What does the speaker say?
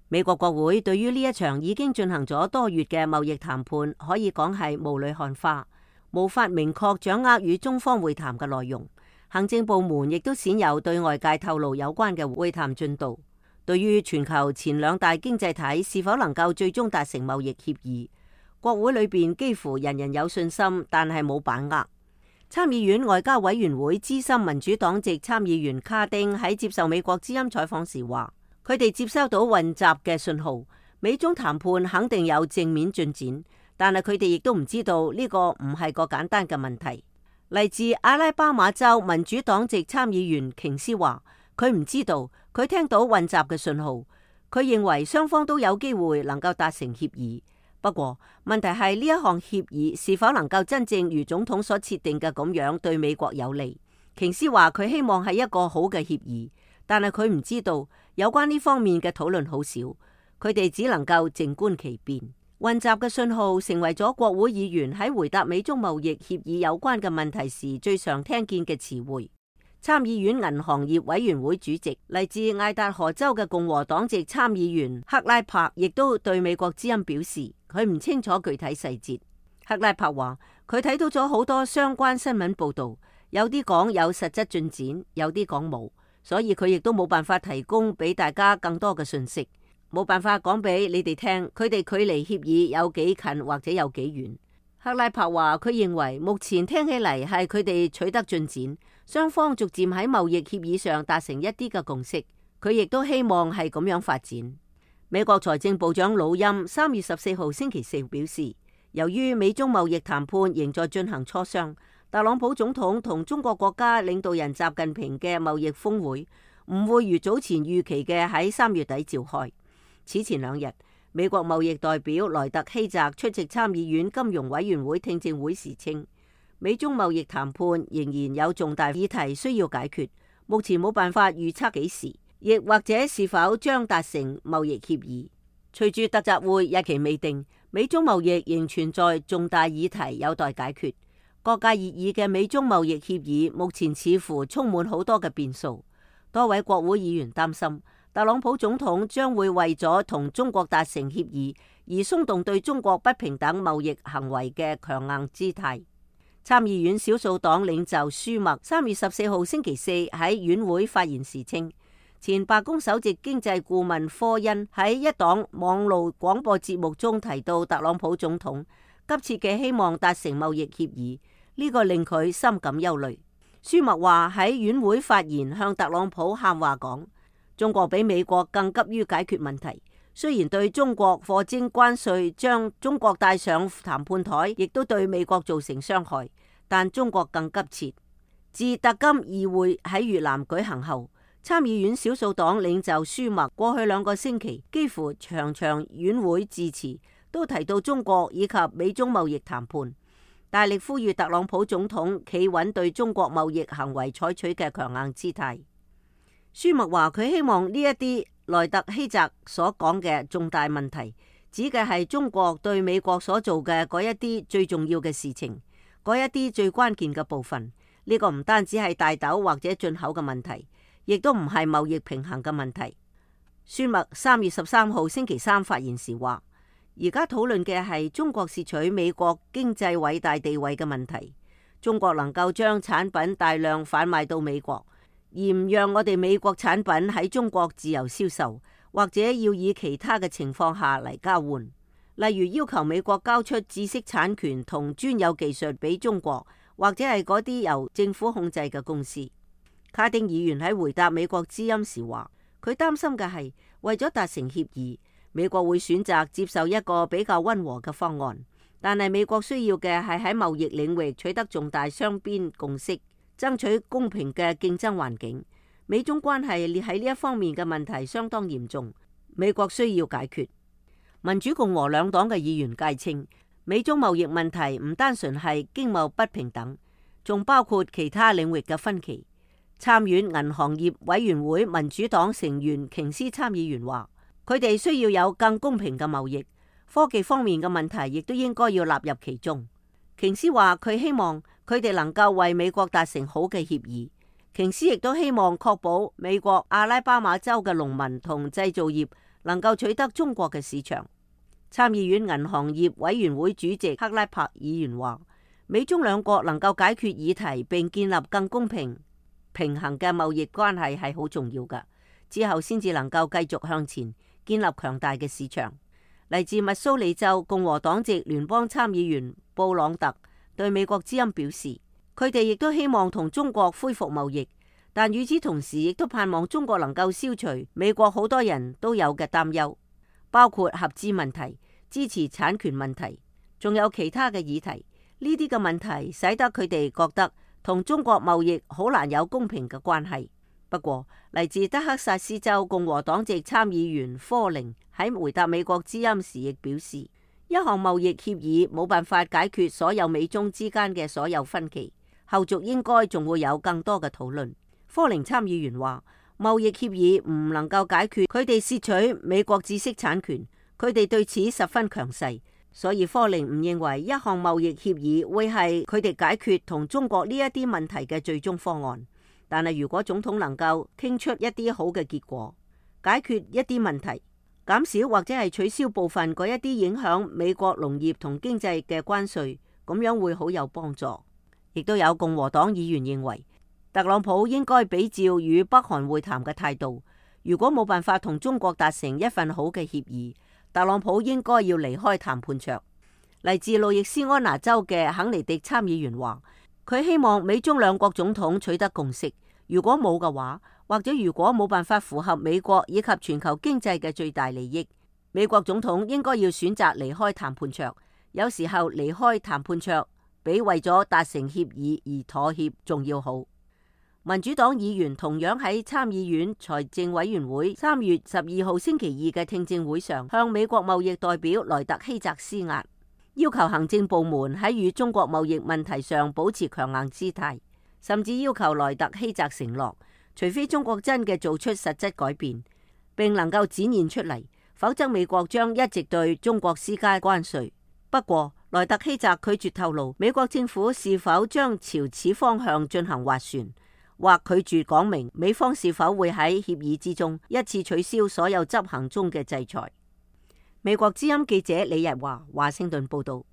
美國國會對於呢一場已經進行咗多月嘅貿易談判，可以講係霧裏看花，無法明確掌握與中方會談嘅內容。行政部門亦都鮮有對外界透露有關嘅會談進度。對於全球前兩大經濟體是否能夠最終達成貿易協議，國會裏邊幾乎人人有信心，但係冇把握。參議院外交委員會資深民主黨籍參議員卡丁喺接受美國之音採訪時話，佢哋接收到混雜嘅信號，美中談判肯定有正面進展，但係佢哋亦都唔知道呢個唔係個簡單嘅問題。嚟自阿拉巴馬州民主黨籍參議員瓊斯話，佢唔知道，佢聽到混雜嘅信號，佢認為雙方都有機會能夠達成協議。不過問題係呢一項協議是否能夠真正如總統所設定嘅咁樣對美國有利？瓊斯話佢希望係一個好嘅協議，但係佢唔知道有關呢方面嘅討論好少，佢哋只能夠靜觀其變。混雜嘅信號成為咗國會議員喺回答美中貿易協議有關嘅問題時最常聽見嘅詞彙。參議院銀行業委員會主席嚟自愛達荷州嘅共和黨籍參議員克拉柏亦都對美國之音表示，佢唔清楚具體細節。克拉柏話佢睇到咗好多相關新聞報道，有啲講有實質進展，有啲講冇，所以佢亦都冇辦法提供俾大家更多嘅信息，冇辦法講俾你哋聽佢哋距離協議有幾近或者有幾遠。克拉柏話佢認為目前聽起嚟係佢哋取得進展，雙方逐漸喺貿易協議上達成一啲嘅共識，佢亦都希望係咁樣發展。美國財政部長魯欽3月14號星期四表示，由於美中貿易談判仍在進行磋商，特朗普總統同中國國家領導人習近平嘅貿易峰會唔會如早前預期嘅喺3月底召開。此前2日，美國貿易代表萊特希澤出席參議院金融委員會聽證會時稱，美中貿易談判仍然有重大議題需要解決，目前冇辦法預測幾時，亦或者是否將達成貿易協議。隨住特習會日期未定，美中貿易仍存在重大議題有待解決。各界熱議嘅美中貿易協議目前似乎充滿好多嘅變數，多位國會議員擔心特朗普總統將會為咗同中國達成協議而鬆動對中國不平等貿易行為嘅強硬姿態。參議院少數黨領袖舒默3月14號星期四喺院會發言時稱，前白宮首席經濟顧問科恩喺一檔網路廣播節目中提到特朗普總統急切嘅希望達成貿易協議，呢個令佢深感憂慮。舒默話喺院會發言向特朗普喊話講，中國比美國更急於解決問題，雖然對中國課徵關稅將中國帶上談判台，亦都對美國造成傷害，但中國更急切。自特金議會喺越南舉行後，參議院少數黨領袖舒默過去2個星期幾乎場場院會致辭都提到中國以及美中貿易談判，大力呼籲特朗普總統企穩對中國貿易行為採取嘅強硬姿態。舒默話佢希望呢一啲萊特希澤所講嘅重大問題，指嘅係中國對美國所做嘅嗰一啲最重要嘅事情，嗰一啲最關鍵嘅部分。呢個唔單止係大豆或者進口嘅問題，亦都唔係貿易平衡嘅問題。舒默3月13號星期三發言時話，而家討論嘅係中國竊取美國經濟偉大地位嘅問題。中國能夠將產品大量販賣到美國，而唔讓我哋美國產品喺中國自由銷售，或者要以其他嘅情況下嚟交換，例如要求美國交出知識產權同專有技術俾中國，或者係嗰啲由政府控制嘅公司。卡丁議員喺回答美國之音時話，佢擔心嘅係為咗達成協議，美國會選擇接受一個比較溫和嘅方案，但係美國需要嘅係喺貿易領域取得重大雙邊共識，爭取公平嘅競爭環境。美中關係喺呢一方面嘅問題相當嚴重，美國需要解決。民主共和兩黨嘅議員皆稱，美中貿易問題唔單純係經貿不平等，仲包括其他領域嘅分歧。參院銀行業委員會民主黨成員瓊斯參議員話，佢哋需要有更公平嘅貿易，科技方面嘅問題亦都應該要納入其中。瓊斯話佢希望佢哋能夠為美國達成好嘅協議。瓊斯亦都希望確保美國阿拉巴馬州嘅農民同製造業能夠取得中國嘅市場。參議院銀行業委員會主席克拉柏議員話，美中兩國能夠解決議題並建立更公平平衡嘅貿易關係係好重要㗎，之後先至能夠繼續向前建立強大嘅市場。嚟自密蘇里州共和黨籍聯邦參議員布朗特對美國之音表示，佢哋亦都希望同中國恢復貿易，但與此同時亦都盼望中國能夠消除美國好多人都有嘅擔憂，包括合資問題、支持產權問題，仲有其他嘅議題。呢啲嘅問題使得佢哋覺得同中國貿易好難有公平嘅關係。不過，嚟自德克薩斯州共和黨籍參議員科寧喺回答美國之音時亦表示，一項貿易協議冇辦法解決所有美中之間嘅所有分歧，後續應該仲會有更多嘅討論。科寧參議員話，貿易協議唔能夠解決佢哋竊取美國知識產權，佢哋對此十分強勢，所以科寧唔認為一項貿易協議會係佢哋解決同中國呢一啲問題嘅最終方案。但係如果總統能夠傾出一啲好嘅結果，解決一啲問題，減少或者係取消部分嗰一啲影響美國農業同經濟嘅關稅，咁樣會好有幫助。亦都有共和黨議員認為，特朗普應該比照與北韓會談嘅態度，如果冇辦法同中國達成一份好嘅協議，特朗普應該要離開談判桌。嚟自路易斯安那州嘅肯尼迪參議員話，佢希望美中兩國總統取得共識，如果冇嘅話，或者如果冇辦法符合美國以及全球經濟嘅最大利益，美國總統應該要選擇離開談判桌。有時候離開談判桌比為咗達成協議而妥協仲要好。民主黨議員同樣喺參議院財政委員會3月12號星期二嘅聽證會上，向美國貿易代表萊特希澤施壓，要求行政部門喺與中國貿易問題上保持強硬姿態，甚至要求萊特希澤承諾，除非中國真嘅做出實質改變，並能夠展現出嚟，否則美國將一直對中國施加關稅。不過，萊特希澤拒絕透露美國政府是否將朝此方向進行斡旋，或拒絕講明美方是否會喺協議之中一次取消所有執行中嘅制裁。美國之音記者李日華華盛頓報道。